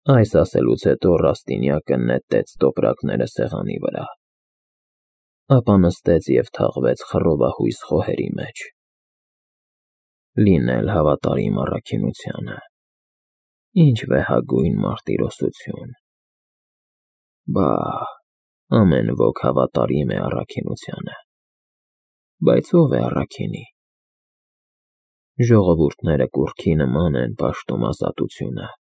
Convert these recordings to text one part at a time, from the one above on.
Այս ասելուց հետո Ռաստինյակը նետեց տոպրակները սեղանի վրա, ապա նստեց և թաղվեց խռովահույս խոհերի մեջ։ Լինել հավատարիմ առաքինությանը, ինչ վեհագույն մարտիրոսություն։ Բա, ամեն ոք հավատարիմ է առաքինությանը, բայց ո՞վ է առաքինի։ Ժողովուրդները կուռքի նման են պաշտում ազատությունը,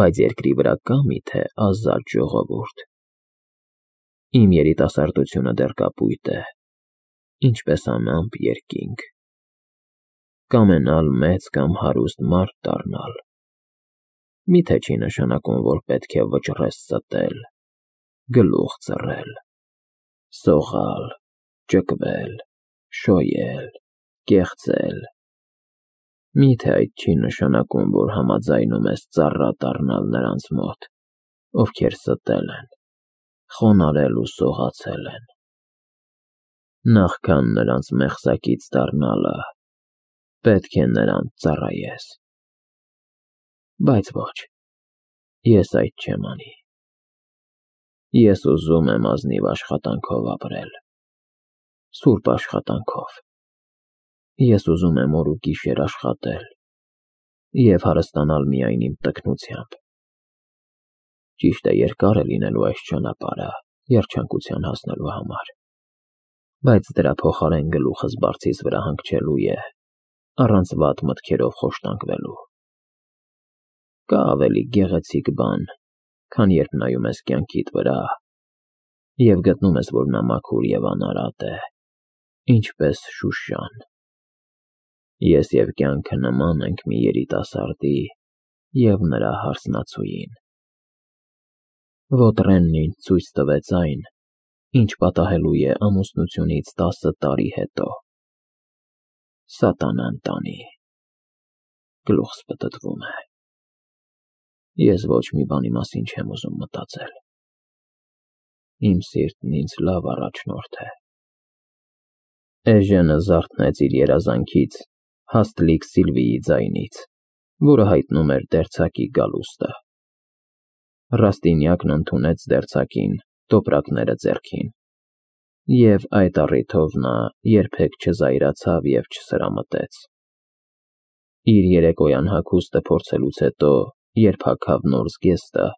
բայց երկրի վրա կա՞ միթե ազատ ժողովուրդ։ Իմ երիտասարդությունը դեռ կապույտ է, ինչպես անամպ երկինք։ Կամենալ մեծ կամ հարուստ մարդ դառնալ, միթե չի նշանակում, որ պետք է վճռես ստել, գլուխ ծռել, սողալ, ճկվել, շոյել, կեղծել։ Միթե այդ չի նշանակում, որ համաձայնում ես ծառա դառնալ նրանց մոտ, ովքեր ստել են, խոնարհել ու սողացել են։ Նախքան նրանց մեղսակից դառնալը, պետք է նրանց ծառայես։ Բայց ոչ, ես այդ չեմ անի։ Ես ուզում եմ ազնիվ աշխատանքով ապրել, սուրբ աշխատանքով։ Ես ուզում եմ օր ու գիշեր աշխատել և հարստանալ միայն իմ տքնությամբ։ Ճիշտ է, երկար է լինելու այս ճանապարհը երջանկության հասնելու համար, բայց դրա փոխարեն գլուխս բարձիս վրա հանգչելու է, առանց վատ մտքերով խոշտանգվելու։ Կա ավելի գեղեցիկ բան, քան երբ նայում ես կյանքիդ վրա և գտնում ես, որ նա մաքուր և անարատ է, ինչպես Շուշան։ Ես և կյանքը նման ենք մի երիտասարդի և նրա հարսնացուին։ Ոտրենն ինձ ցույց տվեց այն, ինչ պատահելու է ամուսնությունից 10 տարի հետո։ Սատանան տանի։ Գլուխս պտտվում է։ Ես ոչ մի բանի մասին չեմ ուզում մտածել։ Իմ սիրտն ինձ լավ առաջնորդ է։ Էժենը զարթնեց իր երազանքից հաստլիկ Սիլվիի ձայնից, որը հայտնում էր դերձակի գալուստը։ Ռաստինյակն ընդունեց դերձակին, տոպրակները ձեռքին, և այդ առիթով նա երբեք չզայրացավ և չսրամտեց։ Իր երեկոյան հագուստը փորձելուց հետո, երբ հագավ նոր զգեստը,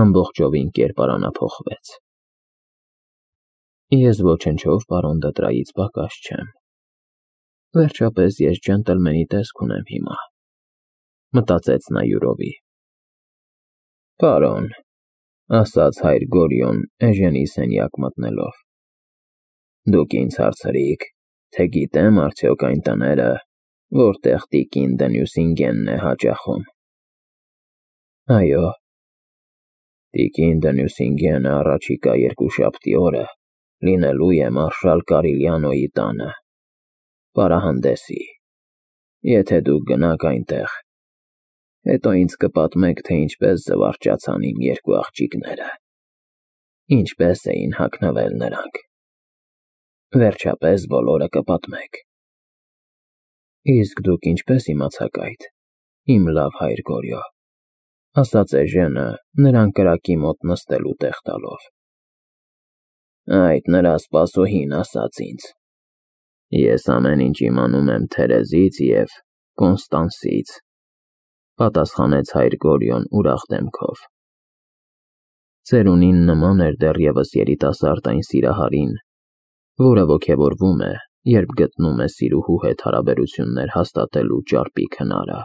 ամբողջովին կերպարանափոխվեց։ Ես ոչնչով պարոն Դտրայից պակաս չեմ։ Վերջապես ես ջենտլմենի տեսք ունեմ հիմա, մտածեց նա յուրովի։ Պարոն, ասաց հայր Գորյուն էժենի սենյակ մտնելով, դուք ինձ հարցրիք, թե գիտեմ արդյոք այն տները, որտեղ տիկին Դենյուսինգենն է հաճախում։ Այո։ Տիկին Դենյուսինգենը առաջիկա երկուշաբթի օրը լինելու է մարշալ Կարիլյանոյի տանը, պարահանդեսի։ Եթե դուք գնաք այնտեղ, հետո ինձ կպատմեք, թե ինչպես զվարճացան իմ երկու աղջիկները, ինչպես էին հագնվել նրանք։ Վերջապես բոլորը կպատմեք։ Իսկ դուք ինչպես իմացաք այդ, իմ լավ հայր Գորյո, ասաց էժենը, նրան կրակի մոտ նստելու տեղ տալով։ Այդ նրա սպասուհին ասաց ինձ։ Ես ամեն ինչ իմանում եմ Թերեզից և Կոնստանսից, պատասխանեց հայր Գորյուն ուրախ դեմքով։ Ծերունին նման էր դեռևս երիտասարդ այն սիրահարին, որը ոգևորվում է, երբ գտնում է սիրուհու հետ հարաբերություններ հաստատելու ճարպիկ հնարը,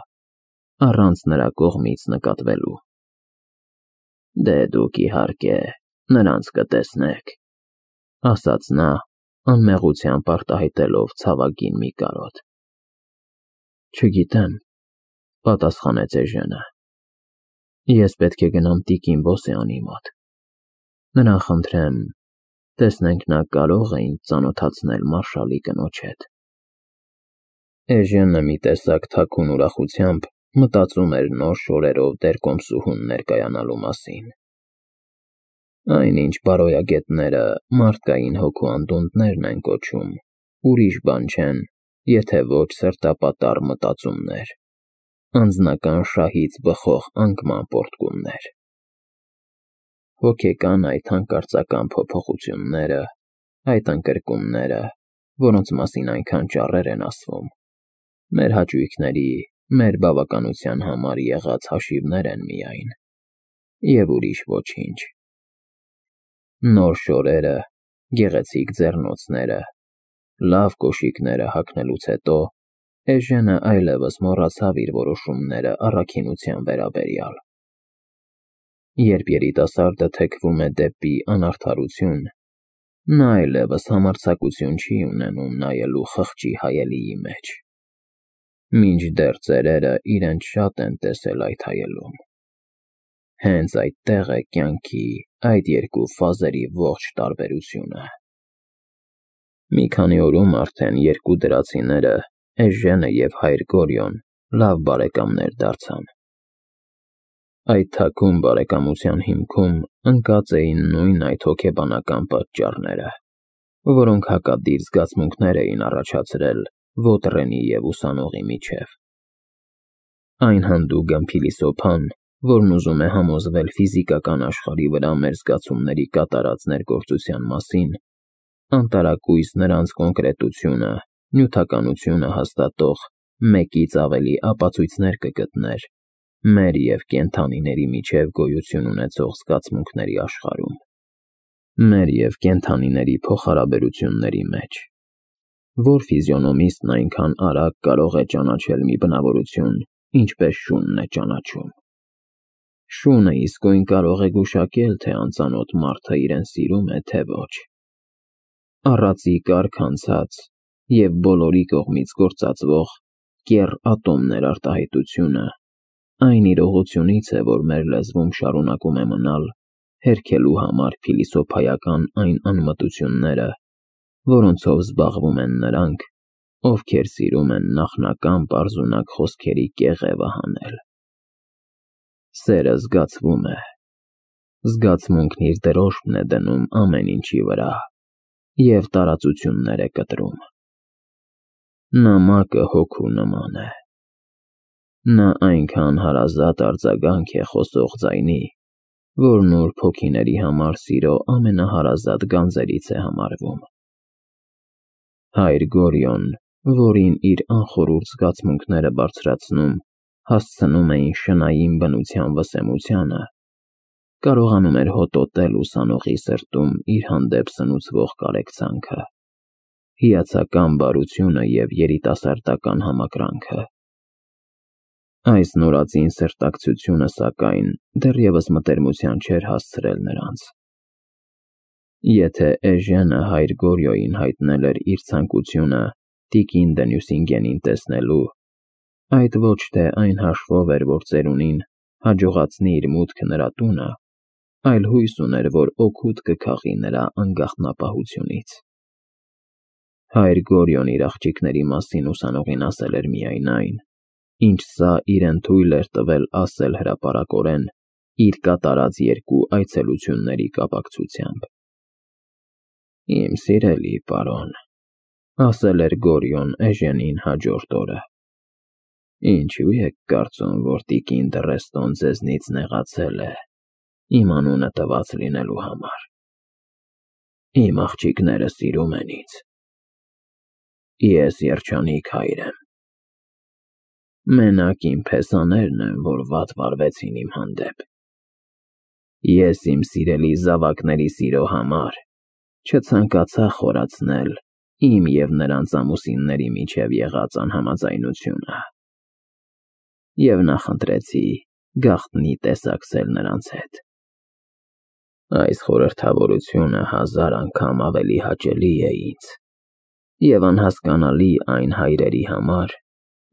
առանց նրա կողմից նկատվելու։ Դե դուք իհարկե նրանց կտեսնեք, ասաց նա, անմեղությամբ արտահայտելով ցավագին մի կարոտ։ Չգիտեմ, պատասխանեց էժենը։ Ես պետք է գնամ տիկին Բոսեանի մոտ։ Նրան խնդրեմ, տեսնենք նա կարո՞ղ է ինձ ծանոթացնել մարշալի կնոջ հետ։ Էժենը մի տեսակ թաքուն ուրախությամբ մտածում էր նոր շորերով դերկոմսուհուն ներկայանալու մասին։ Այնինչ բարոյագետները մարդկային հոգու անդունդներն են կոչում, ուրիշ բան չեն, եթե ոչ սրտապատառ մտածումներ, անձնական շահից բխող անկման պոռթկումներ։ Հոգեկան այդ հանկարծական փոփոխությունները, այդ ընկրկումները, որոնց մասին այնքան ճառեր են ասվում, մեր հաճույքների, մեր բավականության համար եղած հաշիվներ են միայն, և ուրիշ ոչինչ։ Նոր շորերը, գեղեցիկ ձեռնոցները, լավ կոշիկները հագնելուց հետո Էժենը այլևս մոռացավ իր որոշումները առաքինության վերաբերյալ։ Երբ երիտասարդը թեքվում է դեպի անարդարություն, նա այլևս համարձակություն չի ունենում նայելու խղճի հայելիի մեջ։ Մինչդեռ ծերերը իրենց շատ են տեսել այդ հայելում։ Հենց այդտեղ է կյանքի այդ երկու ֆազերի ողջ տարբերությունը։ Մի քանի օրում արդեն երկու դրացիները, Էժենը և հայր Գորյոն, լավ բարեկամներ դարձան։ Այդ թաքուն բարեկամության հիմքում ընկած էին նույն այդ հոգեբանական պատճառները, որոնք հակադիր զգացմունքներ էին առաջացրել Ոտրենի և ուսանողի միջև։ Այն հանդուգն փիլիսոփան, որն ուզում է համոզվել ֆիզիկական աշխարհի վրա մեր զգացումների կատարած ներգործության մասին, անտարակույս նրանց կոնկրետությունը, նյութականությունը հաստատող մեկից ավելի ապացույցներ կգտներ մեր և կենդանիների միջև գոյություն ունեցող զգացմունքների աշխարհում, մեր և կենդանիների փոխհարաբերությունների մեջ։ Որ ֆիզիոնոմիստն այնքան արագ կարող է ճանաչել մի բնավորություն, ինչպես շունն է ճանաչում։ Շունը իսկույն կարող է գուշակել, թե անծանոթ մարդը իրեն սիրում է, թե ոչ։ Առածի կարգ անցած և բոլորի կողմից գործածվող կեռ ատոմներ արտահայտությունը այն իրողությունից է, որ մեր լեզվում շարունակում է մնալ հերքելու համար փիլիսոփայական այն անմտությունները, որոնցով զբաղվում են նրանք, ովքեր սիրում են նախնական պարզունակ խոսքերի կեղևը հանել։ Սերը զգացվում է։ Զգացմունքն իր դրոշմն է դնում ամեն ինչի վրա և տարածություններ է կտրում։ Նամակը հոգու նման է։ Նա այնքան հարազատ արձագանք է խոսող ձայնի, որ նուրբ հոգիների համար սիրո ամենահարազատ գանձերից է համարվում։ Հայր Գորյոն, որին իր անխորուրդ զգացմունքները բարձրացնում, հասցնում էին շնային բնության վսեմությանը, կարողանում էր հոտոտել ուսանողի սրտում իր հանդեպ սնուցվող կարեկցանքը, հիացական բարությունը և երիտասարդական համակրանքը։ Այս նորածին սրտակցությունը, սակայն, դեռևս մտերմության չէր հասցրել նրանց։ Եթե Էժենը հայր Գորյոյին հայտնել էր իր ցանկությունը տիկին Դենյուսինգենին տեսնելու, այդ ոչ թե այն հաշվով էր, որ ծերունին հաջողացնի իր մուտքը նրա տունը, այլ հույս ուներ, որ օգուտ կքաղի նրա անկախնապահությունից։ Հայր Գորյոն իր աղջիկների մասին ուսանողին ասել էր միայն այն, ինչ սա իրեն թույլ էր տվել ասել հրապարակորեն իր կատարած երկու այցելությունների կապակցությամբ։ «Իմ սիրելի պարոն», ասել էր Գորյոն Էժենին հաջորդ օրը, «ինչու եք կարծում, որ տիկին Դռեստոն ձեզնից նեղացել է իմ անունը տված լինելու համար։ Իմ աղջիկները սիրում են ինձ։ Ես երջանիկ հայր եմ։ Մենակ իմ փեսաներն են, որ վատ վարվեցին իմ հանդեպ։ Ես իմ սիրելի զավակների սիրո համար չցանկացա խորացնել իմ և նրանց ամուսինների միջև եղած անհամաձայնությունը և նախընտրեցի գաղտնի տեսակցել նրանց հետ։ Այս խորհրդավորությունը 1000 անգամ ավելի հաճելի է ինձ և անհասկանալի այն հայրերի համար,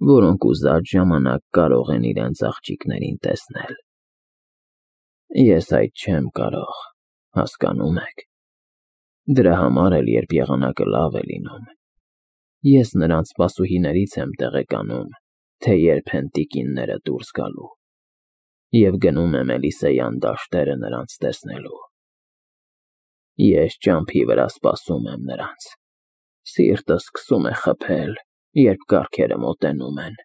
որոնք ուզած ժամանակ կարող են իրենց աղջիկներին տեսնել։ Ես այդ չեմ կարող, հասկանո՞ւմ եք։ Դրա համար էլ, երբ եղանակը լավ է լինում, ես նրանց սպասուհիներից եմ տեղեկանում, թե երբ են տիկինները դուրս գալու, և գնում եմ Էլիսեյան դաշտերը նրանց տեսնելու։ Ես ճամփի վրա սպասում եմ նրանց։ Սիրտս սկսում է խփել, երբ կառքերը մոտենում են։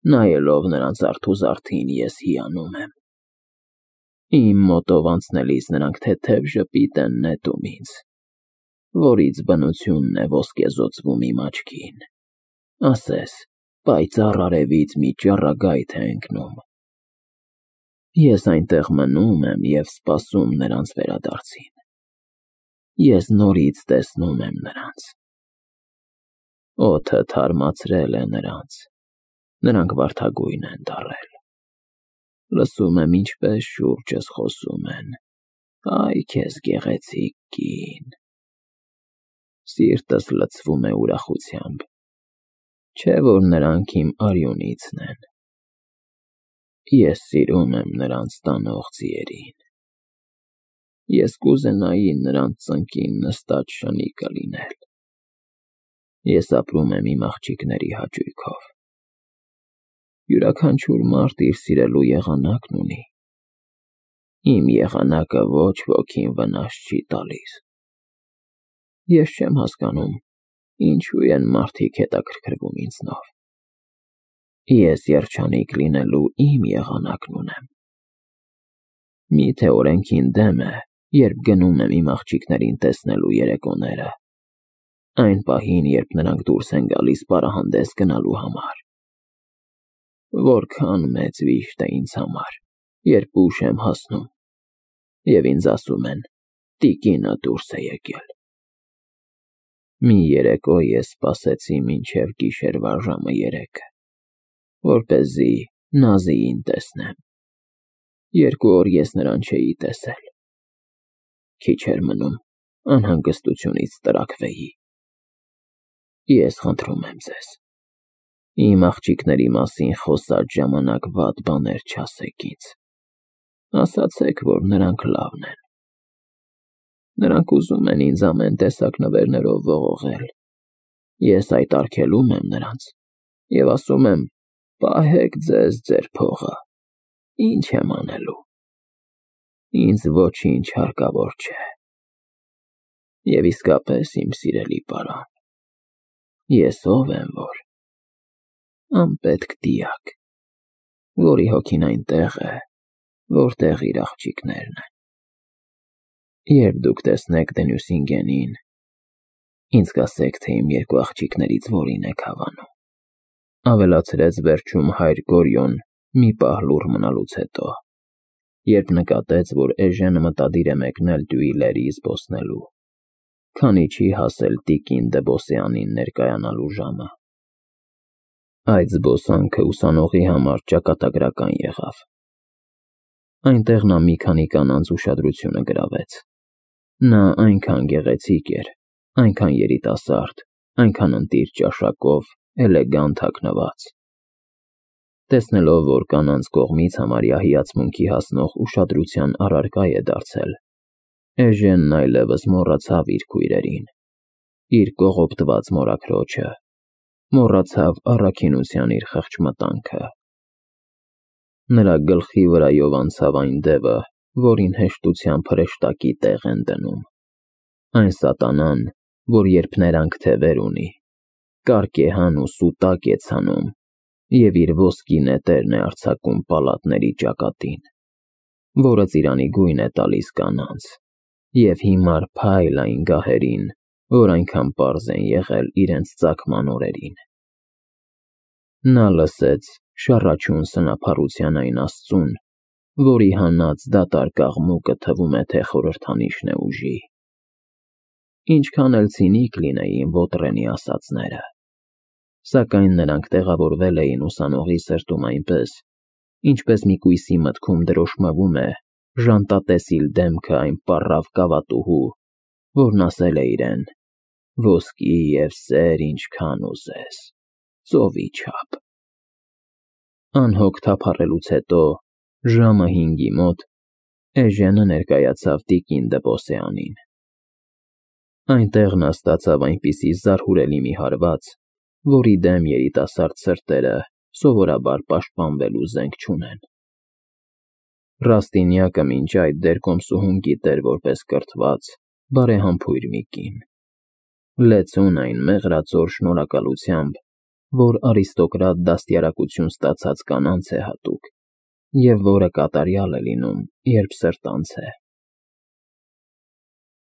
նայելով նրանց արթուզարդին ես հիանում եմ։ Իմ մոտով անցնելիս նրանք թեթև ժպիտ են նետում ինձ, որից բնությունն է ոսկեզօծվում իմ աչքին, ասես պայծառ արևից մի ճառագայթ է ընկնում։ Ես այնտեղ մնում եմ և սպասում նրանց վերադարձին։ Ես նորից տեսնում եմ նրանց։ Օդը թարմացրել է նրանք վարդագույն են դառել։ Լսում եմ ինչպես շուրջս խոսում են. «Այ քեզ գեղեցիկ կին»։ Սիրտս լցվում է ուրախությամբ, չէ՞ որ նրանք իմ արյունիցն են։ Ես սիրում եմ նրանց տանող ձիերին։ Ես կուզենայի նրանց ծնկին նստած շնիկը լինել։ Ես ապրում եմ իմ աղջիկների հաճույքով։ Յուրաքանչյուր մարդ իր սիրելու եղանակն ունի։ Իմ եղանակը ոչ ոքին վնաս չի տալիս։ Ես չեմ հասկանում, ինչու են մարդիկ հետաքրքրվում ինձնով։ Ես երջանիկ լինելու իմ եղանակն ունեմ։ Միթե օրենքին դեմ է, երբ գնում եմ իմ աղջիկներին տեսնելու երեկոները, այն պահին, երբ նրանք դուրս են գալիս պարահանդես գնալու համար։ Որքան մեծ վիշտ է ինձ համար, երբ ուշ եմ հասնում, և ինձ ասում են. «Տիկինը դուրս է եկել»։ Մի երեկո ես սպասեցի մինչև գիշերվա ժամը 3, որպեսզի Նազիին տեսնեմ։ 2 օր ես նրան չէի տեսել։ Քիչ էր մնում, անհանգստությունից տրաքվեի։ Ես խնդրում եմ ձեզ, իմ աղջիկների մասին խոսած ժամանակ վատ բաներ չասեք ինձ։ Ասացեք, որ նրանք լավն են։ Նրանք ուզում են ինձ ամեն տեսակ նվերներով ողողել։ Ես այդ արգելում եմ նրանց և ասում եմ. «Պահեք ձեզ ձեր փողը, ինչ եմ անելու։ Ինձ ոչինչ հարկավոր չէ»։ Եվ իսկապես, իմ սիրելի պարան, ես ով եմ որ։ Անպետք դիակ, որի հոգին այնտեղ է, որտեղ իր աղջիկներն են։ Երբ դուք տեսնեք Դենյուսինգենին, ինձ կասեք, թե իմ 2 աղջիկներից որին եք հավանում, ավելացրեց վերջում հայր Գորյոն մի պահ լուռ մնալուց հետո, երբ նկատեց, որ Էժենը մտադիր է մեկնել Դյուիլերի զբոսնելու, քանի չի հասել տիկին Դեբոսյանին ներկայանալու ժամը։ Այդ զբոսանքը ուսանողի համար ճակատագրական եղավ։ Այնտեղ նա մի քանի կանանց ուշադրությունը գրավեց։ Նա այնքան գեղեցիկ էր, այնքան երիտասարդ, այնքան ընտիր ճաշակով, էլեգանտ հագնված։ Տեսնելով, որ կանանց կողմից համարյա հիացմունքի հասնող ուշադրության առարկա է դարձել, Էժենն այլևս մոռացավ իր քույրերին, իր կողոպտված մորաքրոջը, մոռացավ առաքինության իր խղճմտանքը։ Նրա գլխի վրայով անցավ այն դևը, որին հեշտությամբ հրեշտակի տեղ են դնում։ Այն սատանան, որ երբ ներանք թևեր ունի, կարկեհան ու սուտակ է ցանում և իր ոսկի նետերն է արձակում պալատների ճակատին, որը ծիրանի գույն է տալիս կանանց և հիմար փայլ այն գահերին, որ այնքան պարզ են եղել իրենց ծագման օրերին։ Նա լսեց շառաչուն սնափառության այն Աստծուն, որի հանած դատարկ աղմուկը թվում է, թե խորհրդանիշն է ուժի։ Ինչքան էլ ցինիկ լինեին Ոտրենի ասածները, սակայն նրանք տեղավորվել էին ուսանողի սրտում այնպես, ինչպես մի կույսի մտքում դրոշմվում է ժանտատեսիլ դեմքը այն պառավ կավատուհու, որն ասել է իրեն. «Ոսկի և սեր ինչքան ուզես, ծովի չափ»։ Անհոգ թափառելուց հետո, ժամը 5-ի մոտ, Էժենը ներկայացավ տիկին Դեբոսյանին։ Այնտեղ նա ստացավ այնպիսի զարհուրելի մի հարված, որի դեմ երիտասարդ սրտերը սովորաբար պաշտպանվելու զենք չունեն։ Ռաստինյակը մինչ այդ դեռ կոմսուհուն գիտեր որպես կրթված, բարեհամբույր մի կին։ Լեցուն այն մեղրածոր շնորհակալությամբ, որ արիստոկրատ դաստիարակություն ստացած կանանց է հատուկ և որը կատարյալ է լինում, երբ սրտանց է։